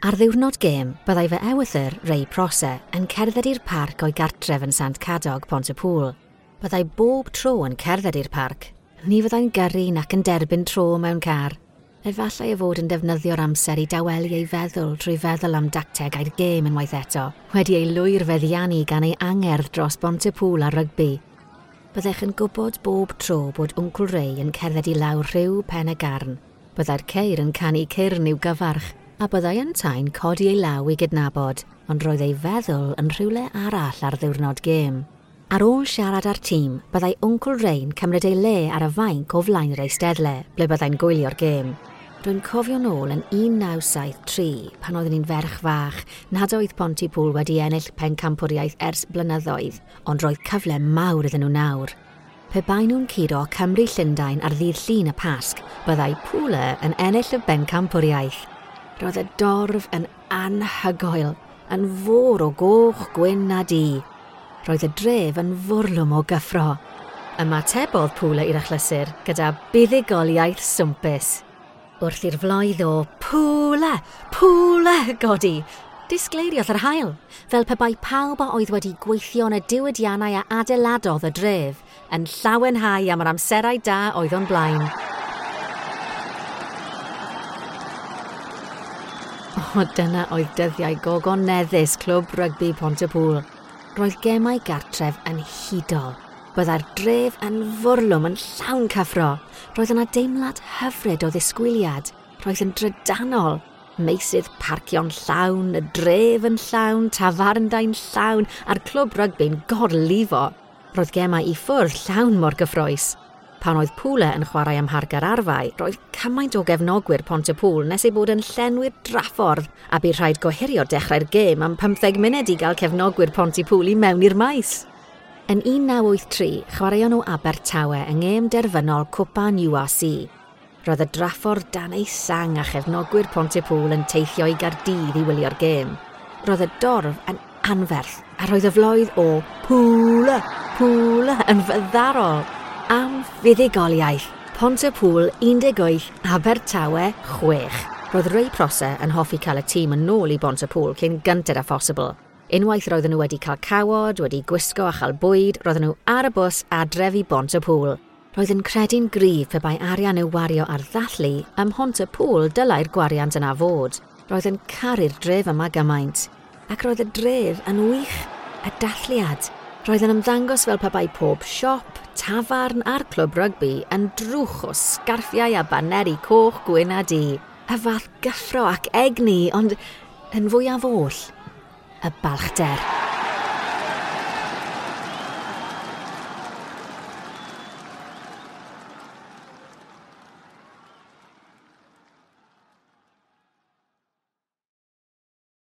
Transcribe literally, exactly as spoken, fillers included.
Ar ddiwrnod gêm, byddai fy ewythr, Ray Prosser, yn cerdded i'r parc o'i gartref yn Sant Cadog, Pontypŵl. Byddai bob tro yn cerdded i'r parc. Ni fyddai'n gyrru nac yn derbyn tro mewn car. Efallai ei fod yn defnyddio'r amser i dawelu ei feddwl trwy feddwl am dactegau'r gêm unwaith eto, wedi ei lwyr feddiannu gan ei angerdd dros Bontypŵl a rygbi. Byddech yn gwybod bob tro bod Wncwl Ray yn cerdded i lawr rhyw pen y garn. Byddai'r ceir yn canu cyrn i'w gyfarch, a byddai yntau'n codi ei law i gydnabod, ond roedd ei feddwl yn rhywle arall ar ddiwrnod gêm. Ar ôl siarad â'r tîm, byddai Wncwl Ray'n cymryd ei le ar y fainc o flaen yr eisteddle, ble byddai'n gwylio'r gêm. Rwy'n cofio nôl yn un naw saith tri, pan oeddwn i'n ferch fach, nad oedd Pontypŵl wedi ennill pencampwriaeth ers blynyddoedd, ond roedd cyfle mawr iddyn nhw nawr. Pe bai nhw'n curo Cymru Llundain ar ddydd Llun y Pasg, byddai Pwle yn ennill y bencampwriaeth. Roedd y dorf yn anhygoel, yn fôr o goch, gwyn a du. Roedd y dref yn fwrlwm o gyffro. Ymatebodd Pwle i'r achlysur gyda buddugoliaeth swmpus. Wrth i'r floedd o Pwle, Pwle godi, disgleiriodd yr haul, fel pe bai pawb a oedd wedi gweithio yn y diwydiannau a adeiladodd y dref yn llawenhau am yr amserau da oedd o'n blaen. O, dyna oedd dyddiau gogoneddus Clwb Rygbi Pontypŵl. Roedd gemau gartref yn hudol. Byddai'r dref yn fwrlwm yn llawn cyffro. Roedd yna deimlad hyfryd o ddisgwyliad. Roedd yn drydanol. Meysydd parcio'n llawn, y dref yn llawn, tafarndai'n llawn, a'r clwb rygbi'n gorlifo. Roedd gemau i ffwrdd llawn mor gyffrous. Pan oedd Pwle yn chwarae am Mharc yr Arfau, roedd cymaint o gefnogwyr Pontypŵl nes ei bod yn llenwi'r draffordd, a bu rhaid gohirio dechrau'r gêm am pymtheg munud i gael cefnogwyr Pontypŵl i mewn i'r maes. Yn un naw wyth tri, chwaraeon nhw Abertawe yng ngêm derfynol Cwpan U R C. Roedd y draffordd dan ei sang a chefnogwyr Pontypŵl yn teithio i Gaerdydd i wylio'r gêm. Roedd y dorf yn anferth, a roedd y floedd o Pwle, Pwle yn fyddarol. Am fuddugoliaeth, Pontypŵl un deg wyth, Abertawe chwech. Roedd Ray Prosser yn hoffi cael y tîm yn ôl i Bontypŵl cyn gynted â phosibl. Unwaith roedden nhw wedi cael cawod, wedi gwisgo a chael bwyd, roedden nhw ar y bws adref i Bontypŵl. Roedd yn credu'n gryf pe bai arian i'w wario ar ddathlu, ym Mhontypŵl dylai'r gwariant yna fod. Roedd yn caru'r dref yma gymaint. Ac roedd y dref yn wych, y dathliad. Roedd yn ymddangos fel pe bai pob siop, tafarn a'r clwb rygbi yn drwch o sgarffiau a baneri coch, gwyn a du. Y fath gyffro ac egni, ond yn fwyaf oll, y balchder.